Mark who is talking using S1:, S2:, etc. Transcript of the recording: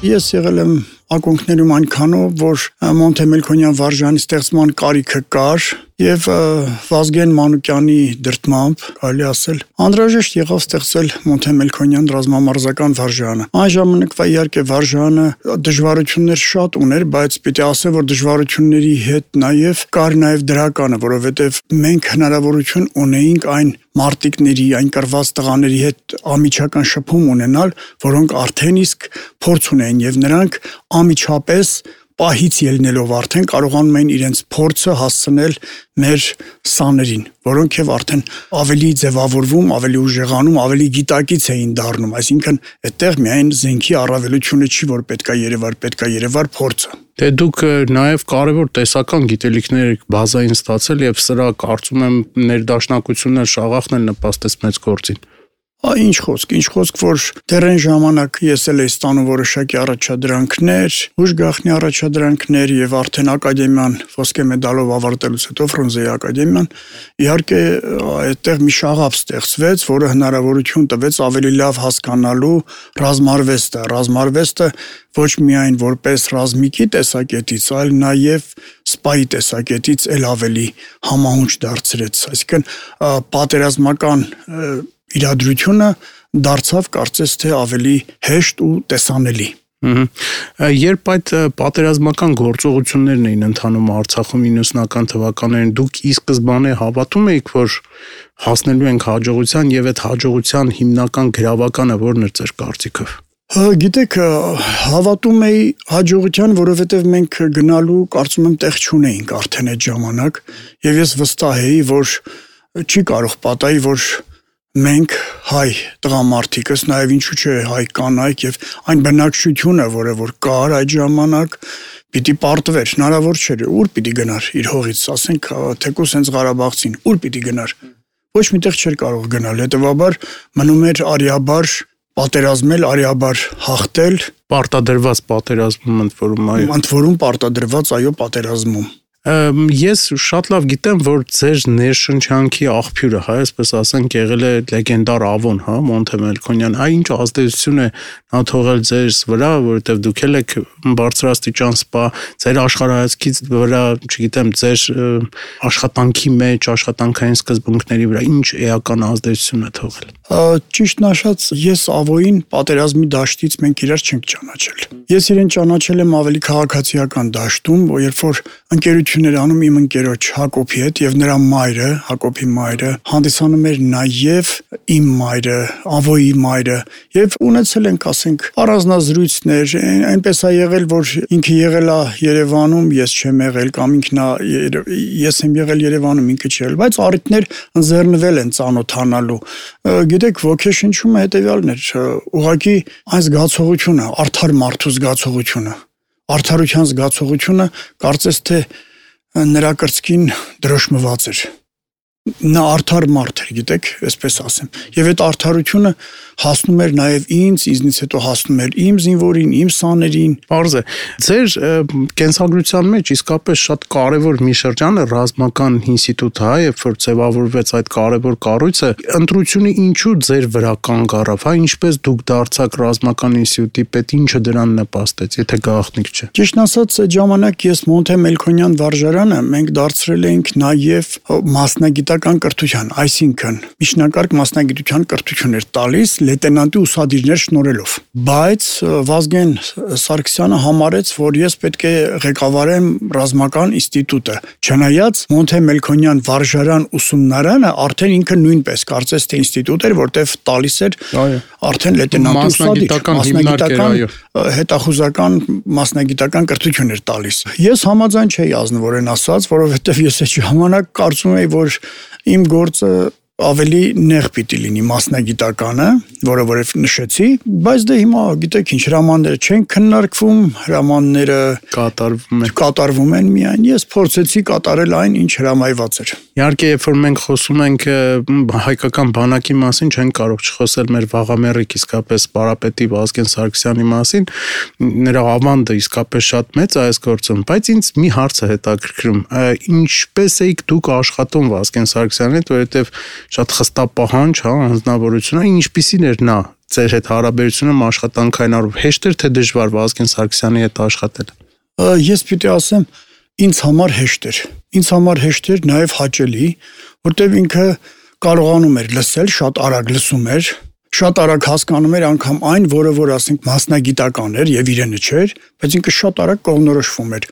S1: Ես եղել եմ ակունքներում այնքանով, որ Մոնթե Մելքոնյան վարժանի ստեղծման կարիքը կար եւ Վազգեն Մանուկյանի դրդմամբ, կարելի ասել, անհրաժեշտ եղավ ստեղծել Մոնթե Մելքոնյան ռազմամարզական վարժանը։ Այն ժամանակվա իհարկե վարժանը դժվարություններ շատ ուներ, բայց պիտի ասեմ, որ դժվարությունների հետ նաեւ կար նաեւ դրականը, որովհետեւ մենք հնարավորություն ունեինք այն մարտիկների, այն կռված տղաների հետ ամիջական շփում ունենալ, որոնք արդեն իսկ փորձ ունեն եւ նրանք ամիջապես պահից ելնելով արդեն կարողանում էին իրենց փորձը հասցնել մեր սաներին, որոնք եւ արդեն ավելի ձևավորվում, ավելի ուժեղանում, ավելի գիտակից էին դառնում, այսինքն այդտեղ միայն զենքի առավելությունը չի, որ պետքա երևար փորձը։
S2: Դե դուք նաև կարևոր տեսական գիտելիքներ բազային ստացել եւ սրա կարծում եմ ներդաշնակություններ շաղախն էլ նպաստեց մեծ գործին։
S1: Ինչ խոսք, որ դեռ այն ժամանակ ես էլ էի ստանում որոշակի առաջադրանքներ, ուժ գաղտնի առաջադրանքներ եւ արդեն ակադեմիան ոսկե մեդալով ավարտելուց հետո Ֆրունզեի ակադեմիան իհարկե այդտեղ մի շաղապ ստեղծվեց, որը հնարավորություն տվեց ավելի լավ հասկանալու ռազմարվեստը ոչ միայն որպես ռազմիկի տեսակետից, այլ նաեւ սպայի տեսակետից էլ ավելի համահունչ դարձրեց, այսինքն պատերազմական իրադրությունը դարձավ կարծես թե ավելի հեշտ ու տեսանելի։
S2: Երբ այդ պատերազմական գործողություններն էին ընթանում Արցախում 90-ական թվականներին, դուք ի սկզբանե հավատում էիք, որ հասնելու ենք հաջողության եւ այդ հաջողության հիմնական գրավականը ո՞րն էր ձեր կարծիքով։
S1: Գիտեք, հավատում էի հաջողության, որովհետև մենք գնալու կարծում եմ տեղ չունեինք արդեն այդ ժամանակ եւ ես վստահ էի, որ չի կարող պատահի, որ մենք հայ տղամարդիկս, նաև ինչու՞ չէ հայ կանայք եւ այն բնակչությունը, որը որ կար այդ ժամանակ, պիտի պարտվեր, հնարավոր չէր, ուր պիտի գնար իր հողից, ասենք, թեկուզ հենց Ղարաբաղցին, ուր պիտի գնար։ Ոչ միտեղ չէր կարող գնալ, հետեւաբար մնում էր արիաբար պատերազմել, արիաբար հաղթել,
S2: պարտադրված պատերազմում ընդ որում
S1: պարտադրված այո պատերազմում։
S2: Ես շատ լավ գիտեմ, որ ձեր ներշնչանքի աղբյուրը, այսպես ասենք, եղել է լեգենդար Ավոն, Մոնթե Մելքոնյան, ինչ ազդեցություն է նա թողել ձեզ վրա, որովհետև դուք եք բարձրաստիճան սպա, ձեր աշխարհայացքից վրա, չգիտեմ, ձեր աշխատանքի մեջ, աշխատանքային սկզբունքների վրա ինչ էական ազդեցություն է թողել։
S1: Ճիշտն ասած, ես Ավոյին պատերազմի դաշտից մենք իրար չենք ճանաչել։ Ես իրեն ճանաչել եմ ավելի քաղաքացիական դաշտում, երբ որ ընկերություններ անում իմ ընկերոջ Հակոբի հետ եւ նրա մայրը, Հակոբի մայրը, հանդիսանում էր նաեւ իմ մայրը, Ավոյի մայրը եւ ունեցել ենք, ասենք, առանձնազրույցներ, այնպես է եղել, որ ինքը եղել է Երևանում, ես չեմ եղել կամ ինքն ես եմ եղել Երևանում, ինքը չի եղել, բայց առիթներ ընձեռնվել են ծանոթանալու։ Գիտեք, ոգեշնչումը հետեւյալն էր, ուղղակի այն զգացողությունը, արդար մարդու զգացողությունը, արդարության զգացողությունը կարծես թե նրա կրծքին դրոշմված էր։ Նա արդար մարդ էր, գիտեք, այսպես ասեմ։ Եվ այդ արդարությունը հասնում էր նաև ինձնից հետո հասնում էր իմ զինվորին, իմ սաներին։
S2: Պարզ է։ Ձեր կենսագրության մեջ իսկապես շատ կարևոր մի շրջան է ռազմական ինստիտուտը, երբ որ ձևավորվեց այդ կարևոր կառույցը, ընտրությունը ինչու ձեր վրա կանգ առավ, ինչպես դուք դարձաք ռազմական ինստիտուտի պետ, ինչը դրան նպաստեց, եթե գաղտնիք չէ։
S1: Ճիշտն ասած, այդ ժամանակ ես Մոնթե Մելքոնյան վարժարանը մենք դարձրել ենք նաև մասնագիտական կրթության, այսինքն միջնակարգ մասնագիտության կրթություն էր տալիս լեյտենանտի ուսադիրներ շնորհելով։ Բայց Վազգեն Սարգսյանը համարեց, որ ես պետք է ղեկավարեմ ռազմական ինստիտուտը։ Չնայած Մոնթե Մելքոնյան վարժարան ուսումնարանը արդեն ինքը նույնպես կարծես թե ինստիտուտ էր, որտեղ տալիս էր արդեն լեյտենանտի ուսադիր, հետախուզական մասնագիտական կրթություն էր տալիս։ Ես համաձայն չէի ազնվորեն ասած, որովհետև ես այդ ժամանակ կարծում էի, որ իմ գործը ավելի նեղ պիտի լինի մասնագիտականը, որը որ նշեցի, բայց դե հիմա գիտեք ինչ հրամանները չեն քննարկվում, հրամանները կատարվում են միայն, ես փորձեցի կատարել այն, ինչ հրամայված էր։
S2: Իհարկե, երբ որ մենք խոսում ենք հայկական բանակի մասին, չենք կարող չխոսել մեր վաղամերիկ իսկապես պարապետի Վազգեն Սարգսյանի մասին, նրա ավանդը իսկապես շատ մեծ է այս գործում, բայց ինձ մի հարց է հետաքրքրում, ինչպես էիք դուք աշխատում Վազգեն Սարգսյանի հետ, որովհետև շատ խստապահանջ, անձնավորություն է, ինչպիսին էր նա ձեր հետ հարաբերությունը աշխատանքային առումով հեշտ էր թե դժվար Վազգեն Սարգսյանի հետ աշխատել։
S1: Ես պիտի ասեմ, ինձ համար հեշտ էր։ Ինձ համար հեշտ էր, նաև հաճելի, որտեղ ինքը կարողանում էր լսել, շատ արագ լսում էր, շատ արագ հասկանում էր անգամ այն, որը որ ասենք մասնագիտական էր եւ իրենը չէր, բայց ինքը շատ արագ կողմնորոշվում էր։